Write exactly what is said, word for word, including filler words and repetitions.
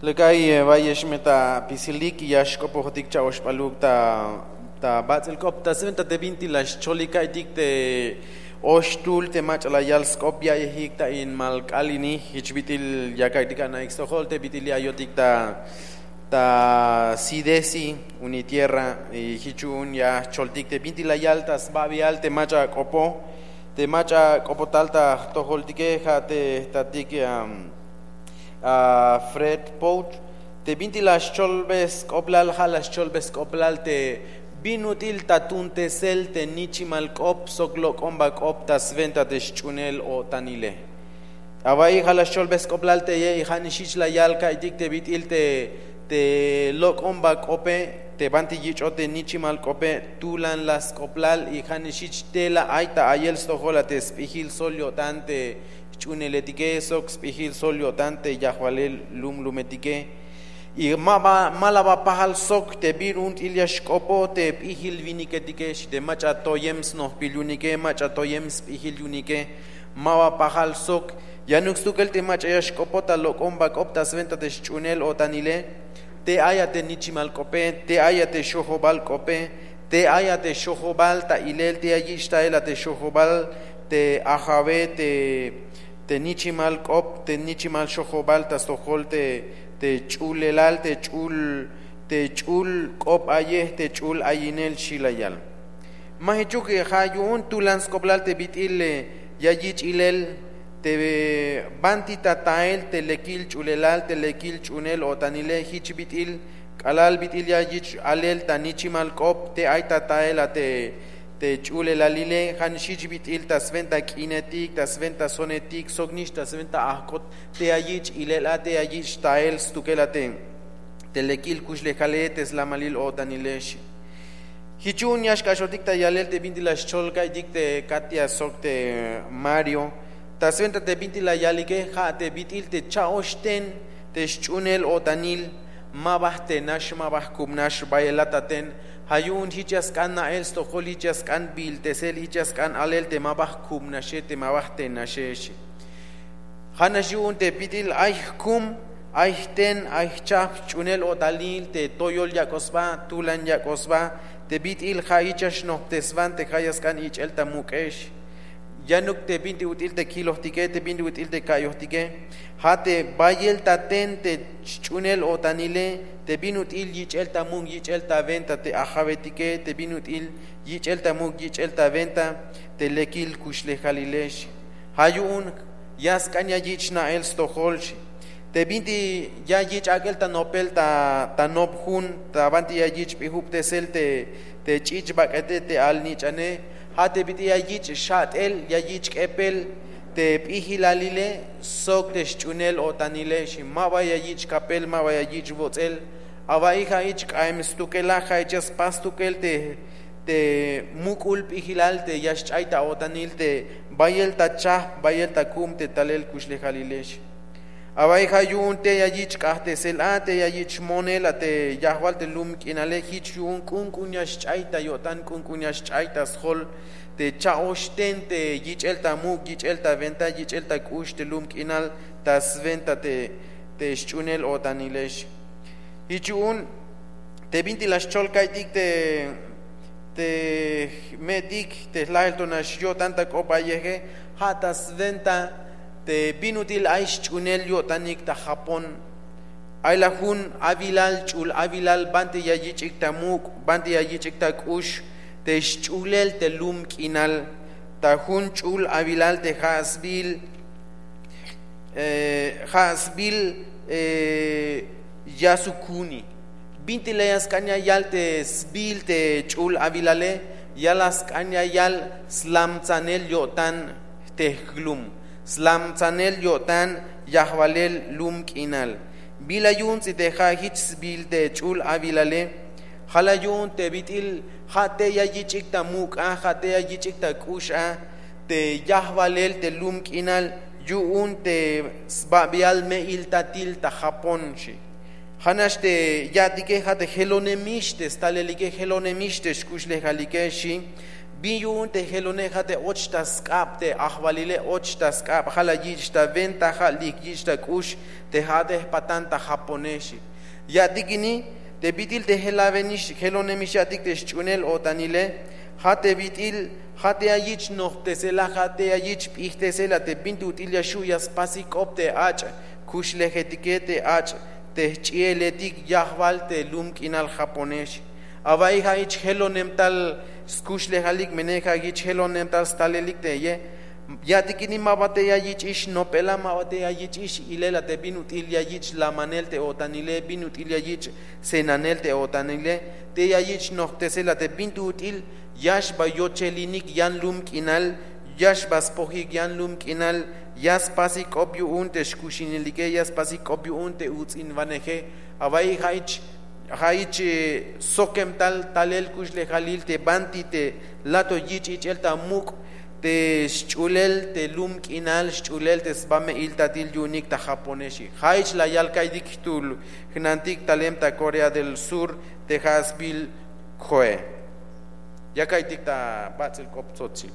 Lek ay, eh, bayex me ta apisilik ya xk'opojotik cha'oxp'aluk ta ta bats'il k'op ta swenta te bintik la xcholik ka'iytik te oxtul te mach'a la yal sk'op ya'iyejik ta in malk'al ini. Jich bit'il ya ka'iytik ana'ik stojol te bit'il ya ayotik ta ta sidesi, unitierra, y jich yu'un ya jcholtik te bintik la yal ta sbabial te mach'a k'opo te mach'a k'opotal ta jtojoltike ja' te jtatik, am, a Fred Pout. Te bintik la xcholbe sk'oblal ja' la xcholbe sk'oblal te bin ut'il ta tuuntesel te nichimal k'op sok lok'omba k'op ta swenta te xch'uunel o'tanile. Awa'iy ja' la xcholbe sk'oblal teye y ja' nix jich la yal ka'iytik te bit'il te te lok'omba k'ope te banti yich'ot te nichimal k'ope tulan la sk'oblal y ja' nix jich tela ay ta ayel stojol a te sp'ijil sol yo'tan te jch'uuneletike sok sp'ijil sol yo'tan te yajwalel lumlumetike. Y ma ba ma la ba pajal sok te bin ut'il ya xk'opo te p'ijil winiketike xi te mach'a toyem snojbil yu'unike mach'a toyem sp'ijil yu'unike. Ma ba pajal sok yanuk stukel te mach'a ya xk'opo ta lok'omba k'op ta swenta te xch'uunel o'tanile. Te ay a te nichimal k'ope te ay a te xojobal k'ope te ay a te xojobal ta ilel te ya yich' tael a te xojobal te ajawe te te nichimal k'op te nichimal xojobal ta stojol te te ch'ulelal te ch'ul te ch'ul k'op ayej te ch'ul ayinel xi la yal. Ma jichuk ja' yu'un tulan sk'oblal te bit'il ya yich' ilel te banti ta tael te lekil ch'ulelal te lekil ch'uunel o'tanile jich bit'il k'alal bit'il ya yich' alel ta nichimal k'op te ay ta tael a te te ch'ulelalile ja' nix jich bit'il ta swenta k'inetik ta swenta sonetik sok nix ta swenta ajk'ot te ya yich' ilel a te ya yich' tael stukel a te te lekil kuxlejale te slamalil o'tanile xi. Jich yu'un ya xk'axotik ta yalel te bintik la xchol ka'iytik te Katia sok te Mario ta swenta te bintik la yalike ja' te bit'il te cha'oxten te xch'uunel o'tanil. Ma ba jtenax ma ba jkubnax bayel a ta ten ja' yu'un jich ya sk'an na'el stojol jich ya sk'an biiltesel jich ya sk'an alel te ma ba jkubnaxe te ma ba jtenaxe xi. Ja' nax yu'un te bit'il ay jkum ay jten ay jchajp xch'uunel o'tanil te toyol yak'oj sba tulan yak'oj sba te bit'il ja' jich ya xnojpteswan te ja' ya sk'an ich'el ta muk'ex. Yanuk te bintik ut'il te kilojtike te bintik ut'il te ka'iyojtike ja' te bayel ta ten te xch'uunel o'tanile te bin ut'il yich'el ta muk' yich'el ta wenta te ajawetike te bin ut'il yich'el ta muk' yich'el ta wenta te lekil kuxlejalile xi. Ja' yu'un ya sk'an ya yich' na'el stojol xi. Te bintik ya yich' ak'el ta nopel ta ta nop jun ta banti ya yich' p'ijubtesel te te ch'ich' bak'ete te al-nich'ane ja' te bit'il ya yich' xat'el ya yich' k'epel te p'ijilalile sok te xch'uunel o'tanile xi. Ma ba ya yich' kapel ma ba ya yich' wots'el. Awa'iy ja' jich k'aem stukel a ja' jich ya spas stukel te te muk'ul p'ijilal te ya xch'ay ta o'tanil te bayel ta chajp bayel ta kub te talel kuxlejalile xi. Awa'iy ja' yu'un te ya yich' k'ajtesel a te ya yich' monel a te yajwal te lum k'inale jich yu'un k'unk'un ya xch'ay ta yo'tan k'unk'un ya xch'ay ta sjol te cha'oxten te yich'el ta muk' yich'el ta wenta yich'el ta k'ux te lum k'inal ta swenta te te xch'uunel o'tanile xi. Jich yu'un te bintik la xchol ka'iytik te te jme'tik te jlajel to nax yo'tan ta k'op ayeje ja' ta swenta te bin ut'il ay xch'uunel yo'tanik ta Japón. Ay la jun awilal ch'ul awilal banti ya yich'ik ta muk' banti ya yich'ik ta k'ux te xch'ulel te lum k'inal ta jun ch'ul awilal te ja' sbiil ja' sbiil Yasukuni. Bintik la ya sk'an ya yal te sbiil te ch'ul awilale ya la sk'an ya yal slamtsanel yo'tan te jlum slamtsanel yo'tan yajwalel lum k'inal. Bila yu'un ts'i te ja' jich sbiil te ch'ul awilale ja' la yu'un te bit'il ja' te ya yich'ik ta muk' a ja' te ya yich'ik ta k'ux a te yajwalel te lum k'inal yu'un te sbabial me'iltatil ta Japón xi. Ja' nax te ya'tike ja' te jelonemix te stalelike jelonemix te xkuxlejalike xi. Bin yu'un te jelone ja' te och ta sk'ab te ajwalile, och ta sk'ab, ja' la yich' ta wentaja, lik yich' ta k'ux te ja'ate jpatan ta japonexe. Ya'tik ini te bit'il te jelawenix jelonemix ya'tik te xch'uunel-o'tanile, ja' te bit'il, ja' te ya yich' nojptesela, ja' te ya yich' p'ijtesela te binti ut'il ya xju' ya spasik k'op te ach' kuxlejetike, te ach' te jch'ieletik yajwal te lum k'inal japonex. Awa'iy ja' jich jelonem tal skuxlejalik, mene ja' jich jelonem tal stalelik teye. Ya'tik ini ma ba te ya yich'ix nopela, ma ba te ya yich'ix ilela te bin ut'il ya yich' lamanel te o'tanile, bin ut'il ya yich' senanel te o'tanile, te ya yich' nojptesela te binti ut'il ya xba yochelinik yan lum k'inal, ya xba spojik yan lum k'inal, ya spasik k'op yu'un te xkuxinelike, ya spasik k'op yu'un te uts'inwaneje. Awa'iy ja' jich ja' jich sokem tal talel kuxlejalil te banti te lato yich' ich'el ta muk' te xch'ulel te lum k'inal, xch'ulel te sba me'iltatil yu'unik ta japonexe. Ja' jich la yal ka'iytik jtul jnantik talem ta Corea del Sur te ja' sbiil Joe. Ya ka'iytik ta bats'il k'op tsotzil.